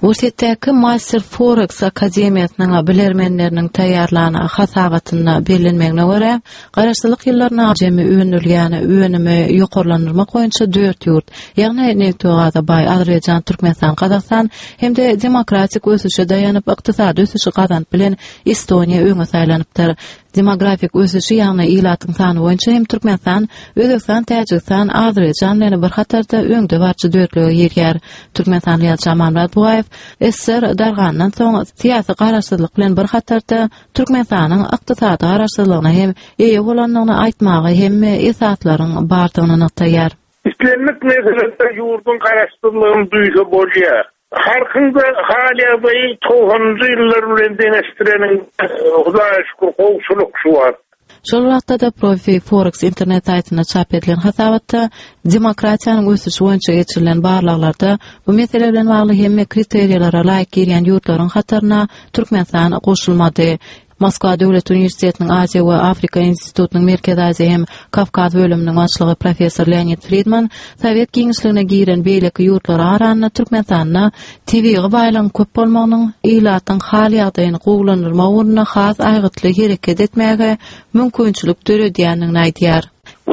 Orsýetdäki Master Forex akademiýasynyň bilermenleriniň taýýarlan hasabatynda bellenmegine görä, garaşsyzlyk ýyllarynda jemi öndürilýän önümi ýokarlandyrmak boýunça dört ýurt, ýagny nebit we gaza baý Azerbaýjan, Türkmenistan, Gazagystan hem-de demokratik ösüşe daýanyp ykdysady ösüşi gazanyp bilen Estoniýa öňe saýlanypdyr. Demografik ösüşi, ýagny ilatyň sany boýunça hem Türkmenistan, Özbegistan, Täjigistan, Azerbaýjan bilen bir hatarda öňdebaryjy dörtlüge girýär. Türkmenistanly ýazyjy Amanmyrat Bugaýew ssr dargandan soň syýasy garaşsyzlyk bilen bir hatarda Türkmenistanyň ykdysady garaşsyzlygyna hem eýe bolandygyny aýtmaga hemme esaslaryň bardygyny nygtaýar. Islendik meselede ýurduň garaşsyzlygyny duýsa bolýar. Halkyň-da hal-ýagdaýy togsanynjy ýyllar bilen deňeşdireniňde, Hudaýa şükür, gowşulyk şu wagt. Şol wagtda-da Profi Forex internet saýtynda çap edilen hasabatda demokratiýanyň ösüşi boýunça geçirilen barlaglarda bu mesele bilen bagly hemme kriteriýalara laýyk girýän ýurtlaryň hataryna Türkmenistan goşulmady. Moskwa döwlet uniwersitetiniň Aziýa we Afrika institutynyň Merkezi Aziýa hem Kawkaz bölüminiň başlygy professor Leonid Fridman sowet giňişligine giren beýleki ýurtlara garanda Türkmenistanda tebigy baýlygyň köp bolmagynyň ilatyň hal-ýagdaýyny gowulandyrmak ugrunda has aýgytly hereket etmäge mümkinçilik döredýändigini aýdýar.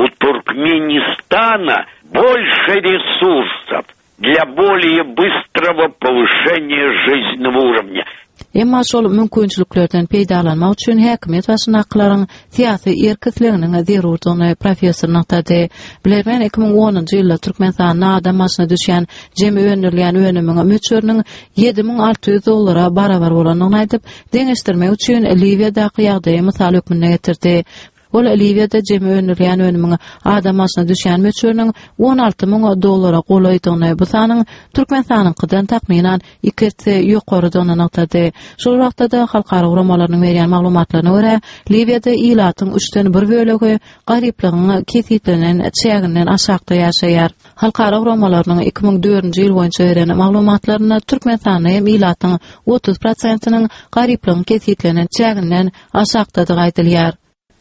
U Turkmenistana больше resursov dla bolее bystrogo powyşeniýa žiznennogo urovnýa. Emma şol mümkinçiliklerden peýdalanmak üçin häkimiýet başyndakylaryň syýasy erk-isleginiň zerurdygyny professor nygtady. Bilermen 2010-njy ýylda Türkmenistanda adam başyna düşýän jemi öndürilýän önümiň möçberiniň 7600 dollara barabar bolandygyny aýdyp, deňeşdirmek üçin Liwiýadaky ýagdaýy mysal hökmünde getirdi. Ol Liwiýada jemi öndürilýän önümiň adam başyna düşýän möçberiniň 16 müň dollara golaýdygyny, bu sanyň Türkmenistanyňkydan takmynan iki esse ýokarydygyny nygtady. Şol wagtda-da halkara guramalarynyň berýän maglumatlaryna görä, Liwiýada ilatyň üçden bir bölegi garyplygyň kesgitlenen çäginden aşakda ýaşaýar. Halkara guramalarynyň 2004-nji ýyl boýunça beren maglumatlarynda Türkmenistanda hem ilatyň 30 prosentiniň garyplygyň kesgitlenen çäginden aşakdadygy aýdylýar.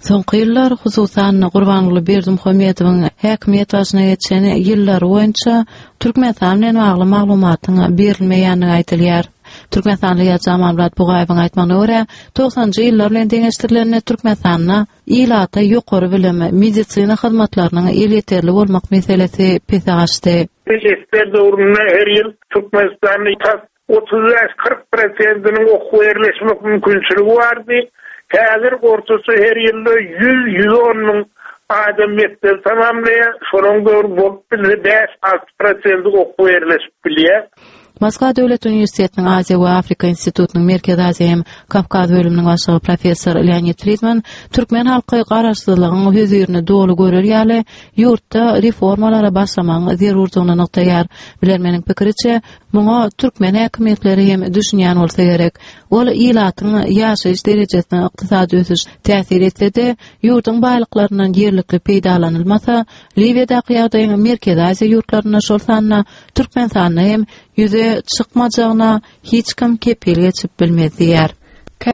Soňky ýyllar, hususan-da, Gurbanguly Berdimuhamedowyň häkimiýet başyna geçen ýyllary boýunça Türkmenistan bilen bagly maglumatyň berilmeýändigi aýdylýar. Türkmenistanly ýazyjy Amanmyrat Bugaýewiň aýtmagyna görä, togsanjy ýyllar bilen deňeşdirilende Türkmenistanda ilata ýokary bilim, medisina hyzmatlarynyň elýeterli bolmak meselesi pese gaçdy. Ssr döwründe her ýyl Türkmenistanda tas 35-40 prosentiniň okuwa ýerleşmek mümkinçiligi bardy. Häzir ortaça her ýylda 100-110 müň adam mekdebi tamamlaýar. Şolaryň dogry bolup bilse bäş-alty prosenti okuwa ýerleşip bilýär. Moskwa döwlet uniwersitetiniň Aziýa we Afrika institutynyň Merkezi Aziýa hem Kawkaz bölüminiň başlygy professor Leonid Fridman türkmen halky garaşsyzlygyň hözirini doly görer ýaly ýurtda reformalara başlamagyň zerurdygyny nygtaýar. Bilermeniň pikiriçe, Muňa türkmen häkimiýetleri hem düşünýän bolsa gerek. Ol ilatyň ýaşaýyş derejesine ykdysady ösüş täsir etse-de, ýurduň baýlyklaryndan ýerlikli peýdalanylmasa, Liwiýadaky ýagdaýyň Merkezi Aziýa ýurtlarynda, şol sanda Türkmenistanda hem ýüze çykmajagyna hiç kim kepil geçip bilmez diýýär.